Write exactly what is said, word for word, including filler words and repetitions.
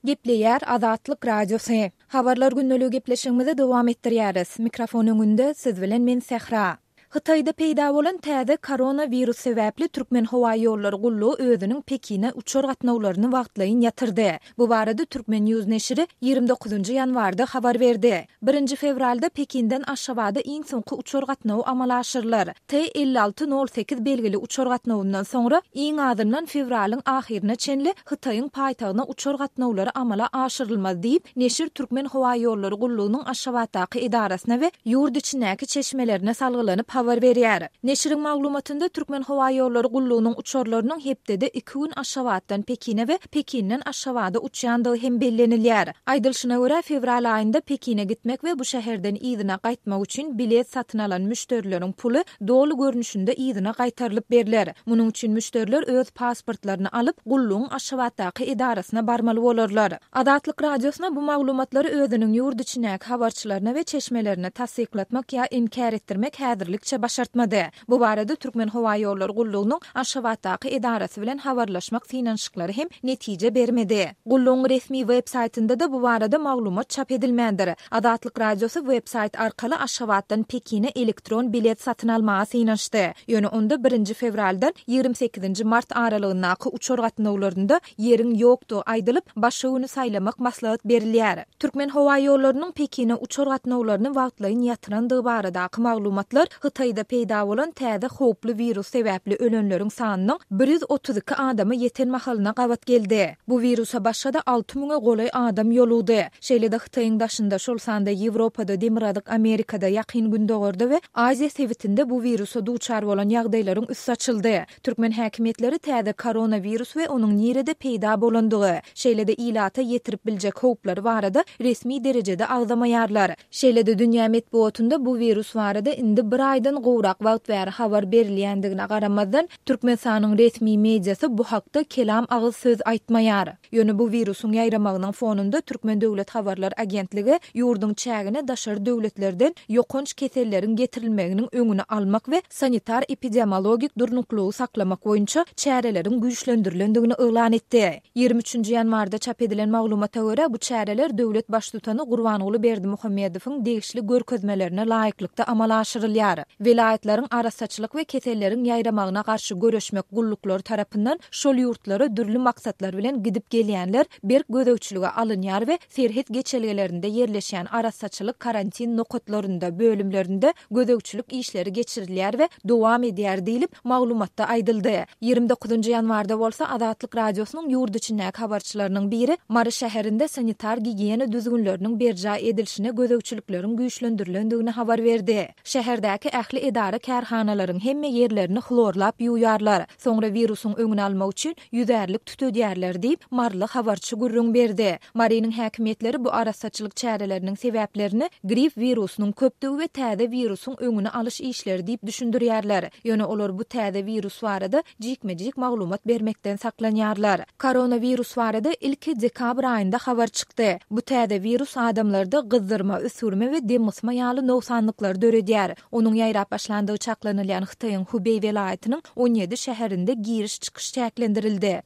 Gepleýär Azatlyk Radiosy. Habarlar gündeligi gepleşigimizi dowam etdirýäris. Mikrofon öňünde siz bilen men Sähra. Hytaýda peýda bolan täze koronawirus sebäpli Türkmenhowaýollary gullugy özüniň Pekine uçar gatnawlaryny wagtlaýyn ýatyrdy. Bu barada Turkmen News neşiri ýigrimi dokuzynjy ýanwarda habar berdi. Birinji fewralda Pekinden Aşgabada iň soňky uçar gatnawy amala aşyrylar. T elli alty nol sekiz belgili uçar gatnawyndan soňra iň azyndan fewralyň ahyryna çenli Hytaýyň paýtagtyna uçar gatnawlary amala aşyrylmaz diýip, neşir Türkmenhowaýollary gullugynyň Aşgabatdaky edarasyna we ýurt içindäki çeşmelerine salgylanyp habar berýär. Neşiriň maglumatynda Türkmenhowaýollary gullugynyň uçarlarynyň hepdede iki gün Aşgabatdan Pekine we Pekinden Aşgabada uçýandygy hem bellenilýär. Aýdylyşyna görä, fewral aýynda Pekine gitmek we bu şäherden yzyna gaýtmak üçin bilet satyn alan müşderileriň puly doly görnüşinde yzyna gaýtarylyp berler. Munuň üçin müşderiler öz pasportlaryny alyp, gullugyň Aşgabatdaky edarasyna barmaly bolarlar. Azatlyk Radiosyna bu maglumatlary özüniň ýurt içindäki habarçylaryna we çeşmelerine tassyklatmak ýa inkär etdirmek häzirlikçe başartmady. Bu barada Türkmenhowaýollary gullugynyň Aşgabatdaky edarasy bilen habarlaşmak synanyşyklary hem netije bermedi. Gullugyň resmi web saýtynda-da bu barada maglumat çap edilmändir. Azatlyk Radiosy web saýt arkaly Aşgabatdan Pekine elektron bilet satyn almaga synanyşdy. Ýöne onda birinji fewraldan ýigrimi sekizinji mart aralygyndaky uçar gatnawlarynda ýeriň ýokdugy aýdylyp, başga güni saýlamak maslahat berilýär. Türkmenhowaýollarynyň Pekine uçar gatnawlaryny wagtlaýyn ýatyrandygy baradaky maglumatlar Hytaýda peýda bolan täze howply wirus sebäpli ölenleriň sanynyň bir ýüz otuz iki adama ýeten mahalyna gabat geldi. Bu wirusa başga-da alty müňe golaý adam ýolugdy. Şeýle-de Hytaýyň daşynda, şol sanda Ýewropada, Demirgazyk Amerikada, Ýakyn Gündogarda we Aziýa sebitinde bu wirusa duçar bolan ýagdaýlaryň üsti açyldy. Türkmen häkimiýetleri täze koronawirus we onuň nirede peýda bolandygy, şeýle-de ilata ýetirip biljek howplary barada resmi derejede agzamaýarlar. Şeýle-de dünýä metbugatynda bu wirus barada indi bir aýdan gowrak wagt bäri habar berilýändigine garamazdan, Türkmenistanyň resmi mediasy bu hakda kelam agyz söz aýtmaýar. Ýöne bu wirusyň ýaýramagynyň fonunda Türkmen döwlet habarlar agentligi ýurduň çägine daşary döwletlerden ýokanç keselleriň getirilmeginiň öňüni almak we sanitar-epidemiologik durnuklygy saklamak boýunça çäreleriň güýçlendirilendigini yglan etdi. Ýigrimi üçünji ýanwarda çap edilen maglumata görä, bu çäreler döwlet baştutany Gurbanguly Berdimuhamedowyň degişli görkezmelerine laýyklykda amala aşyrylýar. Welaýatlaryň arassaçylyk we keselleriň ýaýramagyna garşy göreşmek gulluklary tarapyndan şol ýurtlara dürli maksatlar bilen gidip gelýänler berk gözegçilige alynýar we serhet geçelgelerinde ýerleşýän arassaçylyk karantin nokatlarynda, bölümlerinde gözegçilik işleri geçirilýär we dowam edýär diýlip, maglumatda aýdyldy. Ýigrimi dokuzynjy ýanwarda bolsa Azatlyk Radiosynyň ýurt içindäki habarçylarynyň biri Mary şäherinde sanitar-gigiýena düzgünleriniň berjaý edilişine gözegçilikleriň güýçlendirilendigini habar berdi. Şäherdäki ähli edara-kärhanalaryň hemme ýerlerini hlorlap ýuwýarlar, soňra wirusyň öňüni almak üçin ýüzärlik tütedýärler diýip, maryly habarçy gürrüň berdi. Marynyň häkimiýetleri bu arassaçylyk çäreleriniň sebäplerini grip wirusynyň köpdügi we täze wirusyň öňüni alyş işleri diýip düşündirýärler. Ýöne olar bu täze wirus barada jikme-jik maglumat bermekden saklanýarlar. Koronawirus barada ilki dekabr aýynda habar çykdy. Bu täze wirus adamlarda gyzdyrma, üsgürme we demgysma ýaly nogsanlyklary döredýär. Onuň ýaýrap başlandygy çaklanylýan Hytaýyň Hubeý welaýatynyň on ýedi şäherinde giriş-çykyş çäklendirildi.